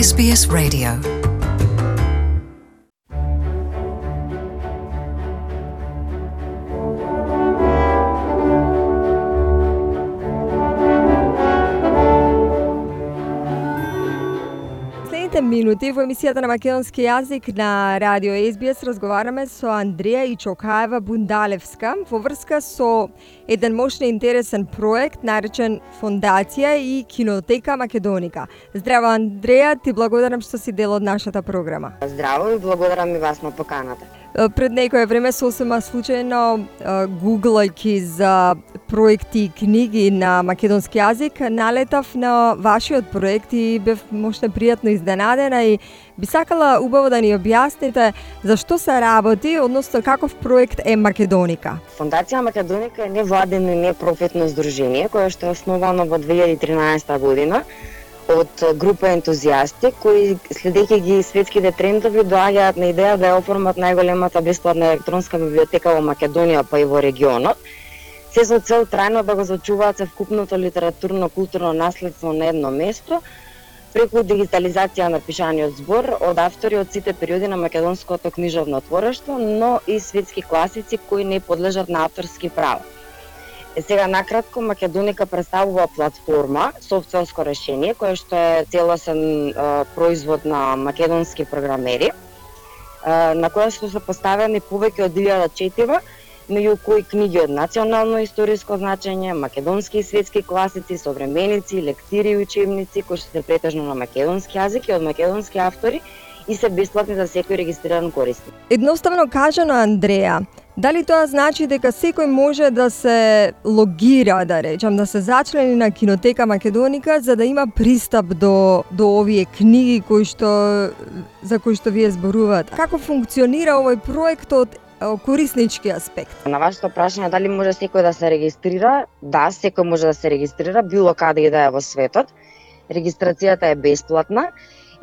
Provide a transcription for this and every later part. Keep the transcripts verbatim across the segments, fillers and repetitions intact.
Ес Би Ес Radio. Минути во емисијата на македонски јазик на радио Ес Би Ес разговараме со Андреја Ичокаева Бундалевска во врска со еден мощен интересен проект наречен Фондација и Кинотека Македоника. Здраво Андреја, ти благодарам што си дел од нашата програма. Здраво и благодарам и вас на поканата. Пред некое време сосема случајно гуглајќи за проекти и книги на македонски јазик, налетав на вашиот проект и бев мощно пријатно изненадена и би сакала убаво да ни објасните за што се работи, односно каков проект е Македоника. Фондација Македоника е невладено и непрофитно здружение кое што е основано во две илјади и тринаесета година од група ентузијасти кои, следејќи ги светските трендови, доаѓаат на идеја да ја оформат најголемата бесплатна електронска библиотека во Македонија, па и во регионот, се со цел трајно да го зачуваат севкупното литературно-културно наследство на едно место, преку дигитализација на пишаниот збор од автори од сите периоди на македонското книжевно творештво, но и светски класици кои не подлежат на авторски права. Е, сега накратко, Македоника представува платформа, софтверско решение, кое што е целосен е, производ на македонски програмери, е, на која што се поставени повеќе од илјада четива, меѓу кои книги од национално историско значење, македонски и светски класици, современици, лектири и учебници кои што се претежно на македонски јазик и од македонски автори и се бесплатни за секој регистриран корисник. Едноставно кажано, Андреја, дали тоа значи дека секој може да се логира, да речам, да се зачлени на Кинотека Македоника за да има пристап до до овие книги кои што за кои што вие зборувате? Како функционира овој проект од кориснички аспект? На вашето прашање дали може секој да се регистрира? Да, секој може да се регистрира било каде и да е во светот. Регистрацијата е бесплатна.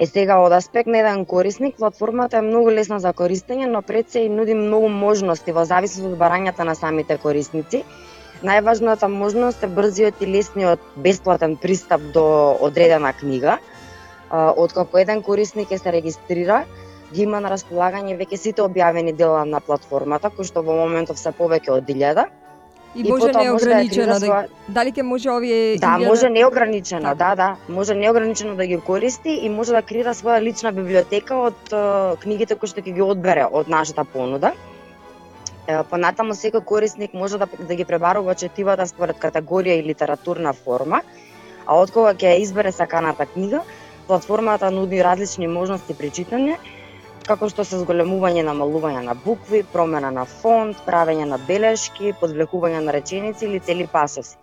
Е сега од аспект на еден корисник, платформата е многу лесна за користење, но пред се и нуди многу можности во зависност од барањата на самите корисници. Најважната можност е брзиот и лесниот бесплатен пристап до одредена книга. Откако еден корисник ќе се регистрира, ги има на располагање веќе сите објавени дела на платформата, кои што во моментов се повеќе од илјада. И, и може неограничено, да, да, дали ќе може овие... Да, илјада... може неограничено, да, да. Може неограничено да ги користи и може да креира своја лична библиотека од uh, книгите кои што ќе ги одбере од нашата понуда. Uh, понатаму секој корисник може да, да ги пребарува четивата според категорија и литературна форма, а откога ќе избере саканата книга, платформата нуди различни можности при читање, како што се зголемување, намалување на букви, промена на фонт, правење на белешки, подвлекување на реченици или цели пасоси.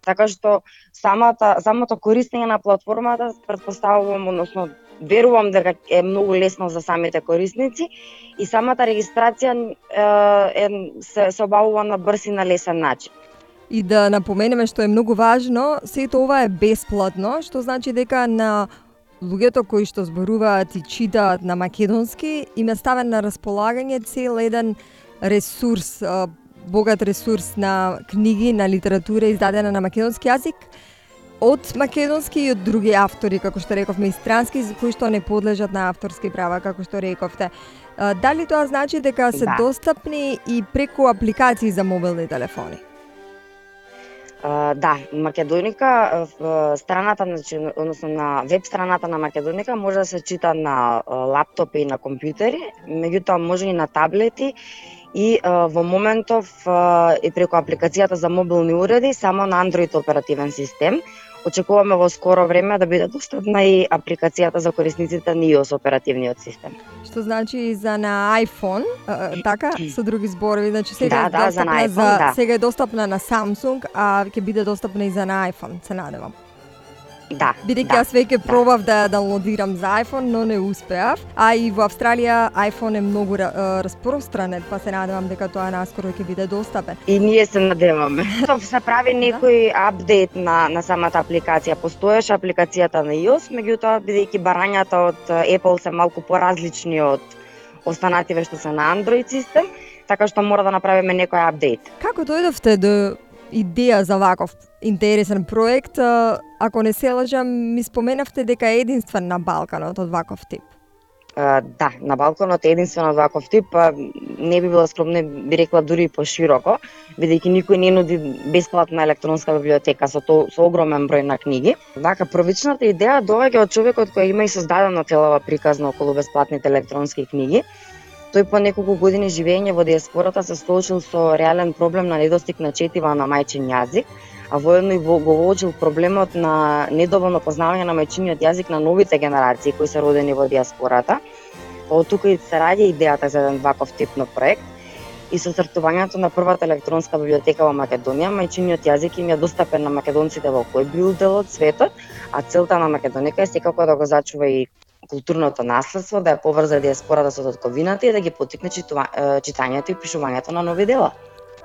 Така што самата самото користење на платформата претпоставувам, односно верувам дека е многу лесно за самите корисници и самата регистрација е, е се, се обавува на брз и на лесен начин. И да напоменеме што е многу важно, сето ова е бесплатно, што значи дека на луѓето кои што зборуваат и читаат на македонски им е ставен на располагање цел еден ресурс, богат ресурс на книги, на литература издадена на македонски јазик од македонски и од други автори, како што рековме, и странски, кои што не подлежат на авторски права, како што рековте. Дали тоа значи дека се да. достапни и преку апликации за мобилни телефони? Uh, да, Македоника, страната, односно на веб страната на Македоника може да се чита на лаптопи и на компјутери, меѓутоа може и на таблети и uh, во моментов uh, и преку апликацијата за мобилни уреди само на Android оперативен систем. Очекуваме во скоро време да биде достапна и апликацијата за корисниците на iOS оперативниот систем. Што значи и за на iPhone, а, така, со други зборови, значи сега да, е да, достапна за, iPhone, за да. сега е достапна на Samsung, а ќе биде достапна и за на iPhone, се надевам. Да. Бидејќи да, јас веќе да. пробав да ја даунлодирам за iPhone, но не успеав. А и во Австралија iPhone е многу uh, распространет, па се надевам дека тоа наскоро ќе биде достапен. И ние се надеваме. Тоа се прави некој апдейт на на самата апликација. Постоеше апликацијата на iOS, меѓутоа бидејќи барањата од Apple се малку поразлични од останативе што се на Android систем, така што мора да направиме некој апдейт. Како дојдовте до идеја за ваков интересен проект. Ако не се лажам, ми споменавте дека е единствен на Балканот од ваков тип. Uh, да, на Балканот е единствено од ваков тип, а не би била скромна, би рекла дури и пошироко, бидејќи никој не нуди бесплатна електронска библиотека со то, со огромен број на книги. Вака првичната идеја доаѓа од човекот кој има и создадена целава приказна околу бесплатните електронски книги. Тој по неколку години живење во диаспората се соочил со реален проблем на недостиг на четива на мајчин јазик, а воедно и го воочил проблемот на недоволно познавање на мајчиниот јазик на новите генерации кои се родени во диаспората. Од тука и се раѓа идејата за еден ваков тип на проект и со стартувањето на првата електронска библиотека во Македонија, мајчиниот јазик им е достапен на македонците во кој бил дел од светот, а целта на Македонија е секако да го зачува и културното наследство, да ја поврза диаспората со татковината и да ги поттикне читањето и пишувањето на нови дела.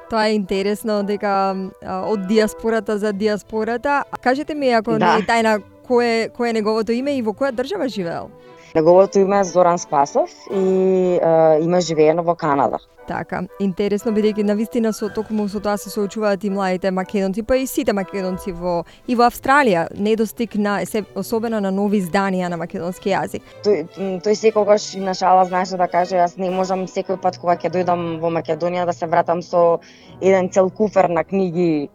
Тоа е интересно дека од диаспората за диаспората. Кажете ми, ако да. не е тајна, кој е, кој е неговото име и во која држава живеел? Неговото име е Зоран Спасов и е, има живеено во Канада. Така, интересно, бидејќи навистина со токму со тоа се соочуваат и младите македонци, па и сите македонци во и во Австралија, недостиг на особено на нови изданија на македонски јазик. Тој, тој секогаш и на шала знаеше да каже, јас не можам секој пат кога ќе дојдам во Македонија да се вратам со еден цел куфер на книги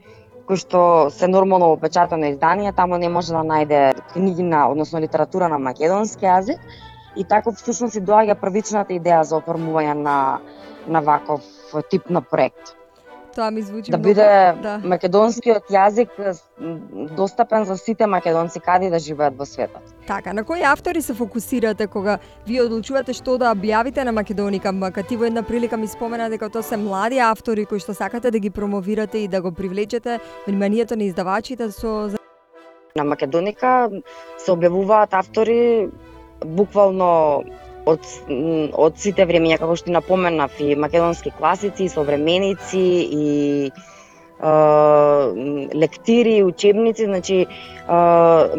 кои што се нормално опечатано изданија, таму не може да најде книги на, односно литература на македонски јазик. И така всушност и доаѓа првичната идеја за оформување на на ваков тип на проект. Тоа ми звучи да многу, биде да. македонскиот јазик достапен за сите македонци каде да живеат во светот. Така, на кои автори се фокусирате кога вие одлучувате што да објавите на Македоника МК? Ти во една прилика ми спомена дека тоа се млади автори кои што сакате да ги промовирате и да го привлечете вниманието на издавачите со... На Македоника се објавуваат автори буквално од, од сите времења, како што напоменав, и македонски класици, и современици, и е, лектири, учебници, значи, е,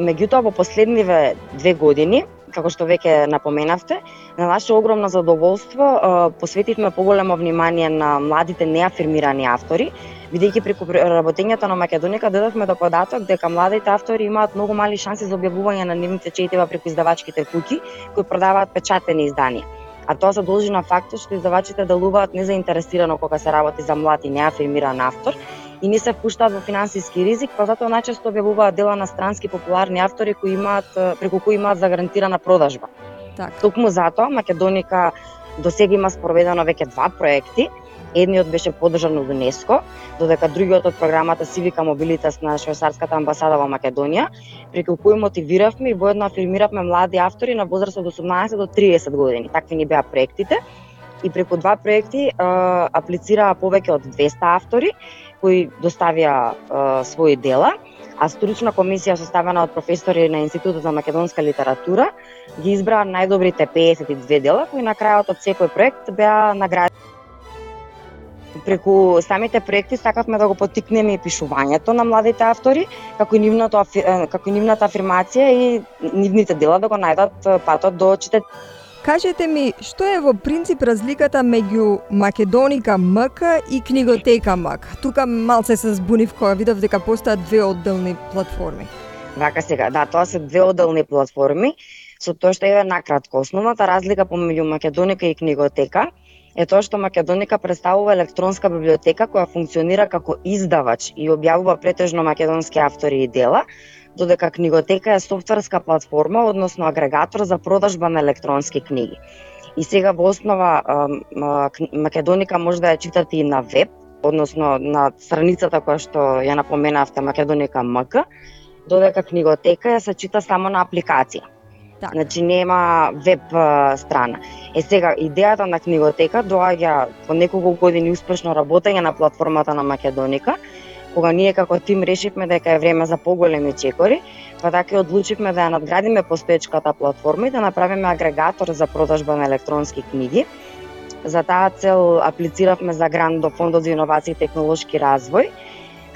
меѓутоа во последниве две години, како што веќе напоменавте, на наше огромно задоволство е, посветивме поголемо внимание на младите неафирмирани автори, бидејќи преку работењето на Македоника додавме до податок дека младите автори имаат многу мали шанси за објавување на нивните четива преку издавачките куќи кои продаваат печатени изданија. А тоа се должи на фактот што издавачите делуваат незаинтересирано кога се работи за млад и неафирмиран автор и не се впуштаат во финансиски ризик, па затоа најчесто објавуваат дела на странски популарни автори кои имаат преку кои имаат загарантирана продажба. Так. Токму затоа Македоника досега има спроведено веќе два проекти. Едниот беше поддржан од ЮНЕСКО, додека другиот од програмата Civica Mobilitas на швајцарската амбасада во Македонија, преку кој мотивиравме и воедно афирмиравме млади автори на возраст од осумнаесет до триесет години. Такви ни беа проектите. И преку два проекти а, аплицираа повеќе од двесте автори кои доставија а, своји дела, а стручна комисија составена од професори на Институтот за македонска литература ги избраа најдобрите пеесет и две дела кои на крајот од секој проект беа наградени. Преку самите проекти сакавме да го поттикнеме и пишувањето на младите автори, како и нивното како и нивната афирмација и нивните дела да го најдат патот до читатели. Кажете ми, што е во принцип разликата меѓу Македоника МК и Книготека МК? Тука малце се збунив кога видов дека постојат две одделни платформи. Вака сега, да, тоа се две одделни платформи, со тоа што е накратко. Основната разлика помеѓу Македоника и Книготека е тоа што Македоника представува електронска библиотека која функционира како издавач и објавува претежно македонски автори и дела, додека Книготека е софтверска платформа, односно агрегатор за продажба на електронски книги. И сега во основа Македоника може да ја читате и на веб, односно на страницата која што ја напоменавте Македоника МК, додека Книготека ја се чита само на апликација. Так. Значи нема веб страна. Е сега, идејата на Книготека доаѓа по неколку години успешно работење на платформата на Македоника, кога ние како тим решивме дека е време за поголеми чекори, па така и одлучивме да ја надградиме постоечката платформа и да направиме агрегатор за продажба на електронски книги. За таа цел аплициравме за грант до Фондот за иновации и технолошки развој,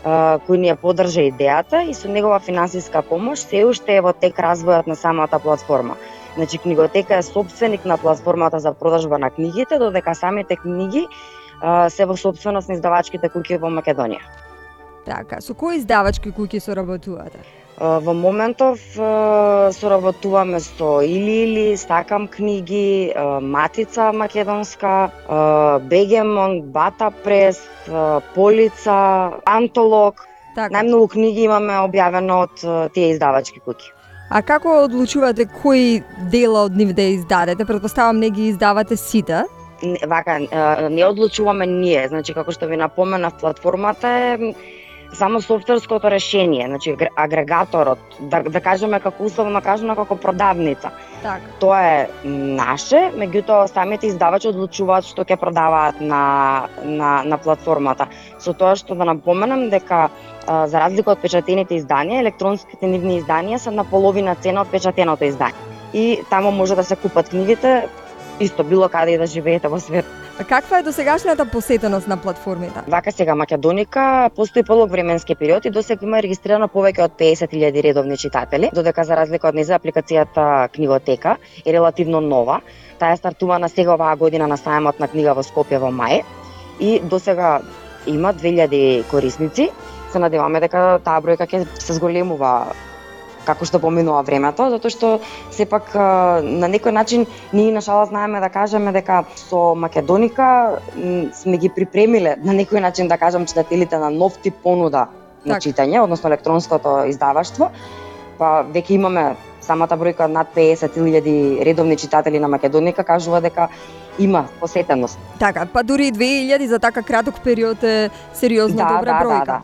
кој ни ја поддржа идејата и со негова финансиска помош се уште е во тек развојот на самата платформа. Значи Книготека е сопственик на платформата за продажба на книгите, додека самите книги а, се во сопственост на издавачките куќи во Македонија. Така, со кои издавачки куќи соработувате? Во моментов соработуваме со Или Или, Сакам книги, Матица македонска, Бегемон, Бата прес, Полица, Антолог. Така. Најмногу книги имаме објавено од тие издавачки куќи. А како одлучувате кои дела од нив да издадете? Претпоставам не ги издавате сите. Вака, не одлучуваме ние, значи како што ви напоменав, платформата е само софтверското решение, значи агрегаторот, да, да кажеме како условно кажано како продавница. Така. Тоа е наше, меѓутоа самите издавачи одлучуваат што ќе продаваат на, на, на платформата. Со тоа што да напоменам дека а, за разлика од печатените изданија, електронските нивни изданија се на половина цена од печатеното издание. И таму може да се купат книгите исто било каде и да живеете во свет. А каква е досегашната посетеност на платформите? Вака сега Македоника постои полог временски период и досега има регистрирано повеќе од песет илјади редовни читатели, додека за разлика од нејза апликацијата Книготека е релативно нова. Таа е стартувана сега оваа година на сајмот на книга во Скопје во мај и досега има две илјади корисници. Се надеваме дека таа бројка ќе се зголемува како што поминува времето, затоа што сепак на некој начин ние нашала знаеме да кажеме дека со Македоника сме ги припремиле на некој начин да кажам читателите на нов тип понуда на так. читање, односно електронското издаваштво. Па веќе имаме самата бројка над песет илјади редовни читатели на Македоника кажува дека има посетеност. Така, па дури и две илјади за така краток период е сериозно Да, добра да, бројка. да, да.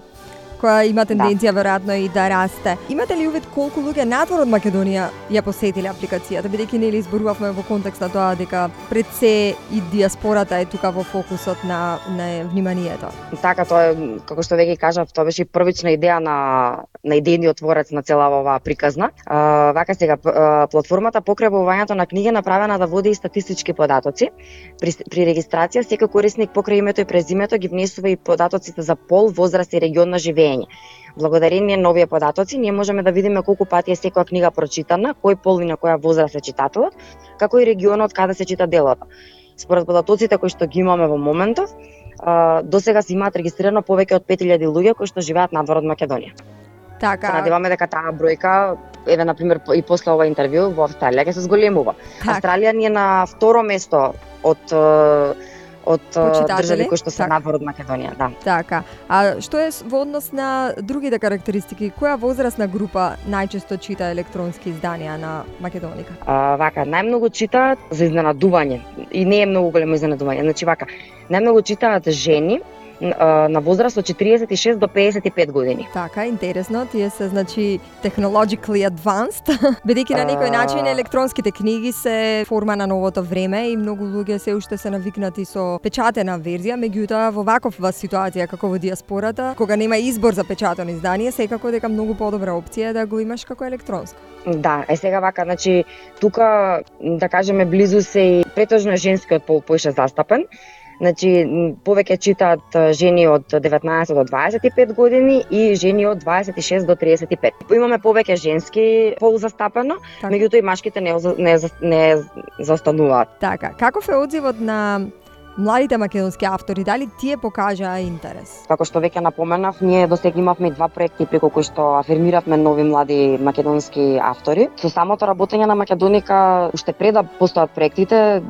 Која има тенденција да. веројатно и да расте. Имате ли увид колку луѓе надвор од Македонија ја посетиле апликацијата, бидејќи нели изборувавме во контекст на тоа дека пред се и диаспората е тука во фокусот на, на вниманието. Така, тоа е, како што веќе кажав, тоа беше првична идеја на на идејниот творец на цела оваа приказна. А, вака сега платформата покрај објавувањето на книги направена да води и статистички податоци. При, при регистрација секој корисник покрај името и презимето ги внесува и податоците за пол, возраст и регион на живење. Благодарение на овие податоци ние можеме да видиме колку пати е секоја книга прочитана, кој пол и на која возраст е читателот, како и регионот каде се чита делото. Според податоците кои што ги имаме во моментов, досега се имаат регистрирано повеќе од пет илјади луѓе кои што живеат надвор од Македонија. Така. Се надеваме дека таа бројка, еве на пример и после ова интервју во Австралија ќе се зголемува. Так. Австралија ни е на второ место од од држави кои што се так. надвор од Македонија, да. Така. А што е во однос на другите карактеристики? Која возрастна група најчесто чита електронски изданија на Македоника? А, вака, најмногу читаат за изненадување и не е многу големо изненадување. Значи вака, најмногу читаат жени на возраст од четириесет и шест до пеесет и пет години. Така, интересно, тие се значи technologically advanced, бидејќи на некој начин електронските книги се форма на новото време и многу луѓе се уште се навикнати со печатена верзија, меѓутоа во вакова ситуација како во диаспората, кога нема избор за печатено издание, секако дека многу подобра опција е да го имаш како електронско. Да, е сега вака, значи тука да кажеме близу се и претежно е женскиот пол поише застапен. Значи, повеќе читаат жени од деветнаесет до дваесет и пет години и жени од дваесет и шест до триесет и пет. Имаме повеќе женски пол застапено, така. Меѓутоа и машките не, не, не застануваат. Така, каков е одзивот на младите македонски автори, дали тие покажаа интерес? Како што веќе напоменав, ние досега имавме два проекти преку кои што афирмиравме нови млади македонски автори. Со самото работење на Македоника, уште пред да постојат проектите,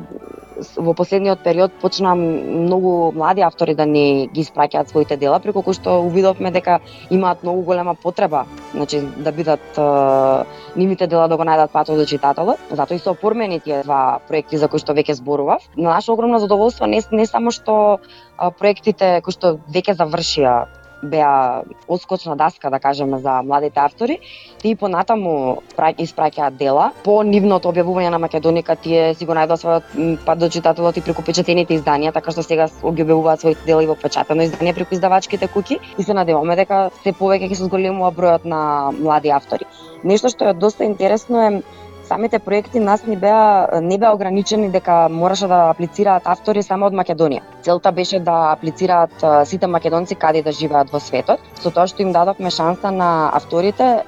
во последниот период почна многу млади автори да ни ги испраќаат своите дела, преку кои што увидовме дека имаат многу голема потреба, значи да бидат е, нивните дела да го најдат патот до читателот. Затоа и се оформени тие два проекти за кои што веќе зборував. На наше огромно задоволство не, не само што е, проектите кои што веќе завршија беа отскочна даска, да кажеме, за младите автори, тие понатаму испраќаат дела. По нивното објавување на Македоника тие си го најдоа својот пат до читателот и преку печатените изданија, така што сега ги објавуваат своите дела и во печатено издание преку издавачките куќи и се надеваме дека се повеќе ќе се зголемува бројот на млади автори. Нешто што е доста интересно е Самите проекти нас не беа не беа ограничени дека мораше да аплицираат автори само од Македонија. Целта беше да аплицираат сите македонци каде да живеат во светот, со тоа што им дадовме шанса на авторите,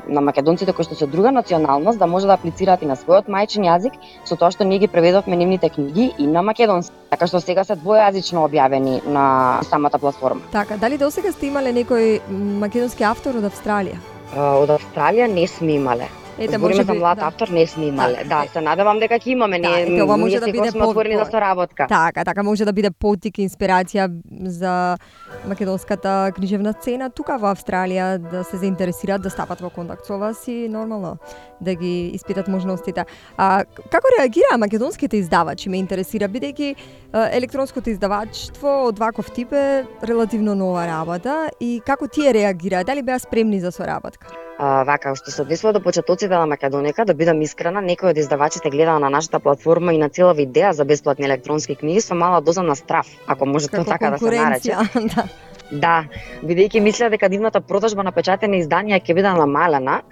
на македонците кои што се друга националност, да може да аплицираат и на својот мајчин јазик, со тоа што ние ги преведовме нивните книги и на македонски. Така што сега се двојазично објавени на самата платформа. Така, дали досега сте имале некој македонски автор од Австралија? Од Австралија не сме имале. Ете, Збориме за млад да. автор, не сме имале. Так, да, е... се надевам дека ќе имаме. Да, ние, ете, ова може ние да секој биде сме отворени за соработка. Така, така може да биде поттик, инспирација за македонската книжевна сцена тука во Австралија, да се заинтересираат да стапат во контакт со вас и нормално да ги испитат можностите. А како реагираа македонските издавачи, ме интересира, бидејќи електронското издаваштво од ваков тип е релативно нова работа и како тие реагираа, дали беа спремни за соработка? А, вака, што се однесува до почетоците на Македонија, да бидам искрена, некои од издавачите гледаа на нашата платформа и на целава идеја за бесплатни електронски книги со мала доза на страф, ако може тоа така да се нарече. да. Да, бидејќи мислеа дека нивната продажба на печатени изданија ќе биде намалена,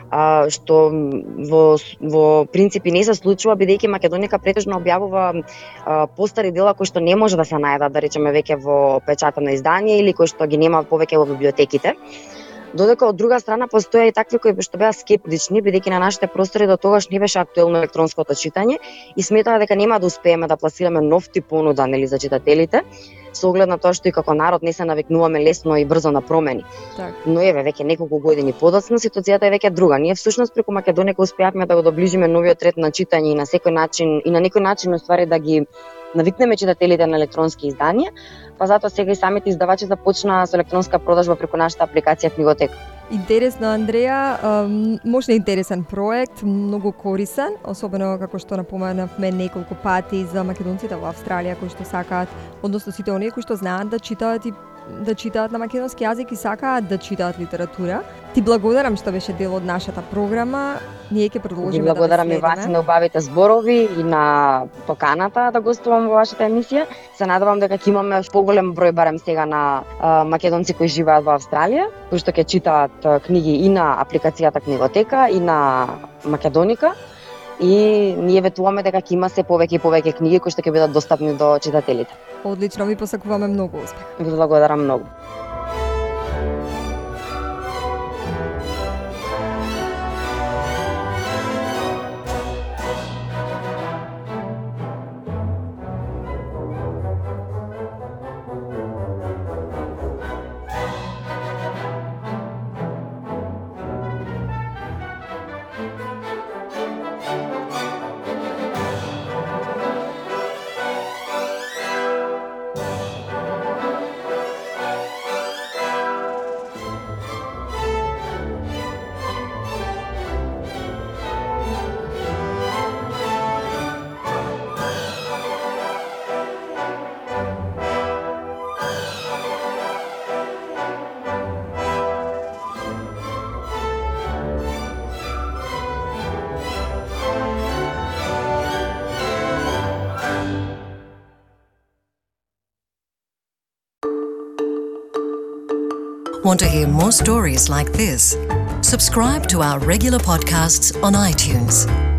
а, што во, во принципи не се случува, бидејќи Македонија претежно објавува а, постари дела кои што не може да се најдат, да речеме, веќе во печатено издание или кои што ги нема повеќе во библиотеките. Додека од друга страна постоја и такви кои што беа скептични, бидејќи на нашите простори до тогаш не беше актуелно електронското читање и сметаа дека нема да успееме да пласираме нов тип понуда, нели, за читателите, со оглед на тоа што и како народ не се навикнуваме лесно и брзо на промени. Так. Но еве веќе неколку години подоцна ситуацијата е веќе друга. Ние всушност преку Македонија успеавме да го доближиме новиот ред на читање и на секој начин и на некој начин уствари да ги навикнеме читателите на електронски изданија, па затоа сега и самите издавачи започнаа со електронска продажба преку нашата апликација Книготека. Интересно, Андреја, можна интересен проект, многу корисен, особено како што напоменавме неколку пати за македонците во Австралија кои што сакаат, односно сите оние кои што знаат да читаат и да читаат на македонски јазик и сакаат да читаат литература. Ти благодарам што беше дел од нашата програма. Ние ќе продолжиме да благодарам и вас на убавите зборови и на поканата да гостувам во вашата емисија. Се надевам дека ќе имаме поголем број барем сега на а, македонци кои живеат во Австралија, кои што ќе читаат а, книги и на апликацијата Книготека и на Македоника. И ние ветуваме дека ќе има се повеќе и повеќе книги кои што ќе бидат достапни до читателите. Одлично, ви посакуваме многу успех. Ви благодарам многу. Want to hear more stories like this? Subscribe to our regular podcasts on iTunes.